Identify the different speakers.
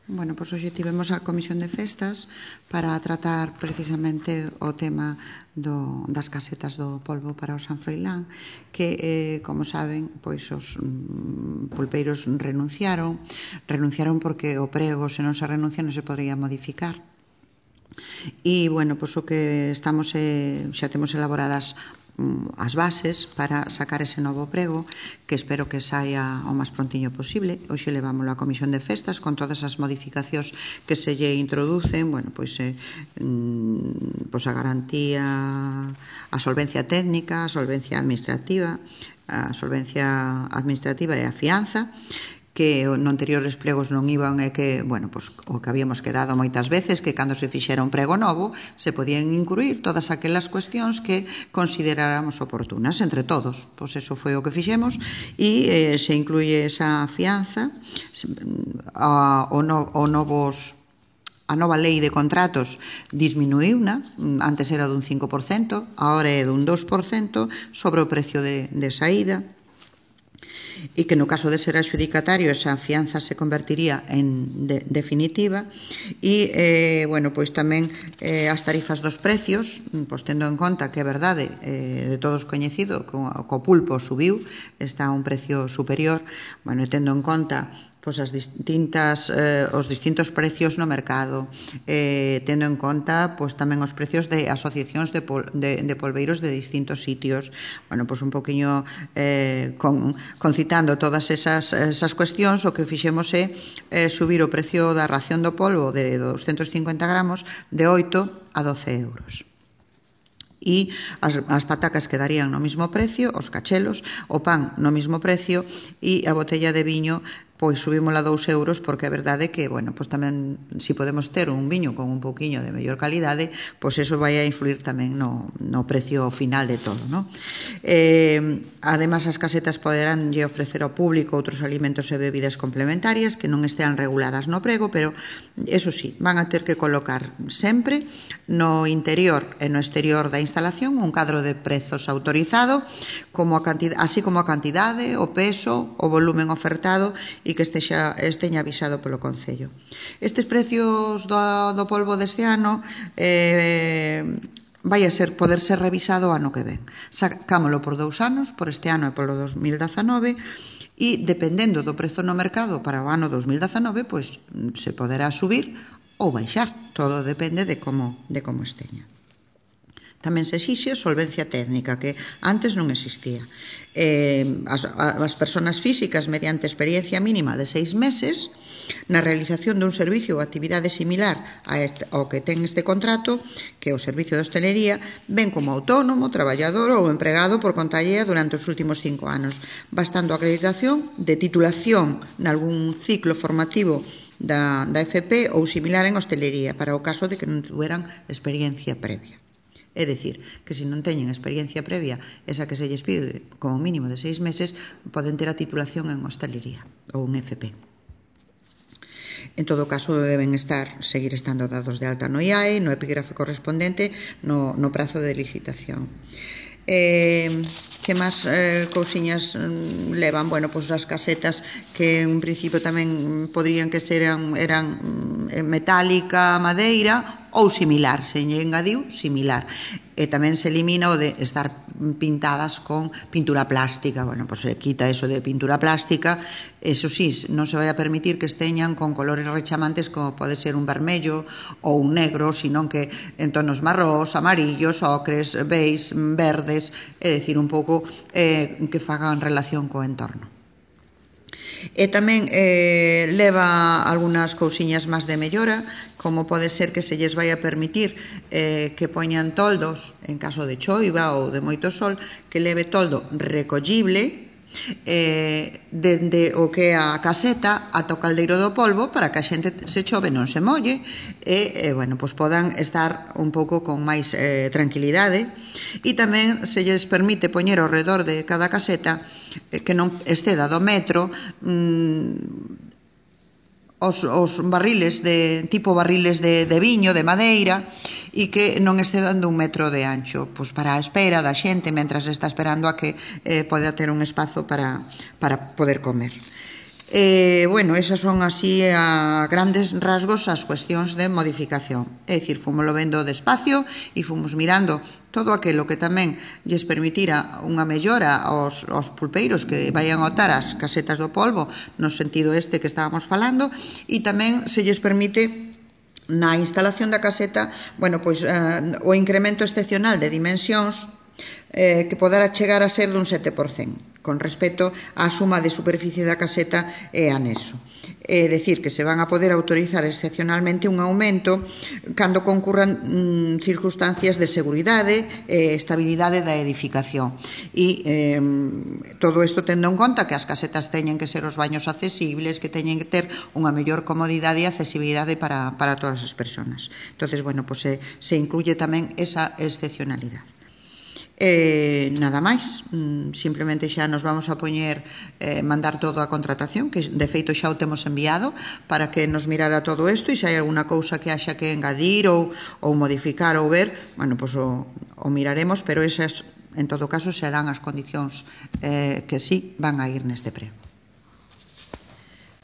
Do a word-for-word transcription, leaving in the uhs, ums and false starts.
Speaker 1: Bueno, pois hoxe tivemos a Comisión de Festas para tratar precisamente o tema do, das casetas do polvo para o San Froilán, que, eh, como saben, pois os mm, pulpeiros renunciaron, renunciaron porque o prego, se non se renuncia, non se podría modificar. E, bueno, pois o que estamos, eh, xa temos elaboradas as bases para sacar ese novo prego, que espero que saia o máis prontiño posible. Hoxe levámoslo á Comisión de Festas con todas as modificacións que se lle introducen, bueno, pois, eh, pois a garantía, a solvencia técnica, a solvencia administrativa, a solvencia administrativa e a fianza, que no anteriores pregos non iban, e que, bueno, pois, o que habíamos quedado moitas veces, que cando se fixera un prego novo se podían incluir todas aquelas cuestións que consideráramos oportunas entre todos. Pois eso foi o que fixemos, e eh, se incluye esa fianza, a, o, no, o novos a nova lei de contratos disminuíuna, antes era dun cinco por cento, agora é dun dos por cento sobre o precio de, de saída, e que no caso de ser adxudicatario esa fianza se convertiría en de, definitiva. E, eh, bueno, pois tamén eh, as tarifas dos precios, pois tendo en conta que é verdade, eh, de todos coñecido, que o pulpo subiu, está a un precio superior, bueno, e tendo en conta pois as distintas, eh, os distintos precios no mercado, eh, tendo en conta pois tamén os precios de asociacións de, pol, de, de polveiros de distintos sitios. Bueno, pois un poquinho eh, con, concitando todas esas, esas cuestións, o que fixemos é eh, subir o precio da ración do polvo de doscientos cincuenta gramos de oito a doce euros. E as, as patacas quedarían no mismo precio, os cachelos, o pan no mismo precio, e a botella de viño pois subímola dous euros, porque é verdade que, bueno, pois tamén, se si podemos ter un viño con un pouquiño de mellor calidade, pois eso vai a influir tamén no, no precio final de todo, non? Eh, ademais, as casetas poderán lle ofrecer ao público outros alimentos e bebidas complementarias que non estean reguladas no prego, pero, eso sí, van a ter que colocar sempre no interior e no exterior da instalación un cadro de prezos autorizado, como a cantidade, así como a cantidade, o peso, o volumen ofertado, e que estexa, esteña avisado polo Concello. Estes precios do, do polvo deste ano eh, vai a ser, poder ser revisado o ano que ven. Sacámolo por dous anos, por este ano e polo dos mil dezanove, e dependendo do prezo no mercado para o ano dos mil dezanove, pois se poderá subir ou baixar. Todo depende de como, de como esteña. Tamén se exixe solvencia técnica, que antes non existía. Eh, as, as persoas físicas, mediante experiencia mínima de seis meses, na realización dun servicio ou actividade similar ao que ten este contrato, que é o servicio de hostelería, ben como autónomo, traballador ou empregado por conta allea durante os últimos cinco anos, bastando a acreditación de titulación nalgún ciclo formativo da, da F P ou similar en hostelería, para o caso de que non tuveran experiencia previa. É dicir, que se non teñen experiencia previa, esa que se lles pide como mínimo de seis meses, poden ter a titulación en hostelería ou en F P. En todo caso, deben estar, seguir estando dados de alta no I A E, no epígrafe correspondente, no, no prazo de licitación. Eh, que máis eh, cousiñas mm, levan? Bueno, pois as casetas, que en principio tamén poderían que ser eran, eran metálica, madeira ou similar, se lle engadiu similar. E tamén se elimina o de estar pintadas con pintura plástica. Bueno, pois se quita eso de pintura plástica. Eso sí, non se vai a permitir que esteñan con colores rechamantes como pode ser un vermello ou un negro, senón que en tonos marrós, amarillos, ocres, beis, verdes, é dicir, un pouco eh, que fagan relación co entorno. E tamén eh, leva algunhas cousiñas máis de mellora, como pode ser que se lles vai a permitir eh, que poñan toldos en caso de choiva ou de moito sol, que leve toldo recollible eh, dende o que é a caseta ata o caldeiro do polvo, para que a xente se chove non se molle e, eh, bueno, pois podan estar un pouco con máis eh, tranquilidade. E tamén se lles permite poñer ao redor de cada caseta eh, que non exceda do metro mmm, Os, os barriles de tipo barriles de, de viño, de madeira, e que non excedan dun metro de ancho, pois para a espera da xente mentras está esperando a que eh, poda ter un espazo para, para poder comer. Eh, bueno, esas son así a grandes rasgos as cuestións de modificación. É dicir, fomoslo vendo despacio e fomos mirando todo aquilo que tamén lles permitira unha mellora aos, aos pulpeiros que vayan a otar as casetas do polvo no sentido este que estábamos falando, e tamén se lles permite na instalación da caseta, bueno, pois eh, o incremento excepcional de dimensións eh, que podera chegar a ser dun sete por cento con respecto á suma de superficie da caseta e anexo. É dicir, que se van a poder autorizar excepcionalmente un aumento cando concurran mm, circunstancias de seguridade e estabilidade da edificación. E eh, todo isto tendo en conta que as casetas teñen que ser os baños accesibles, que teñen que ter unha mellor comodidade e accesibilidade para, para todas as persoas. Entonces, bueno, pues se, se incluye tamén esa excepcionalidade. Eh, nada máis, mm, simplemente xa nos vamos a poñer eh, mandar todo a contratación, que de feito xa o temos enviado para que nos mirara todo isto, e se hai alguna cousa que haxa que engadir ou, ou modificar ou ver, bueno, pues o, o miraremos, pero esas en todo caso serán as condicións eh, que sí van a ir neste prego.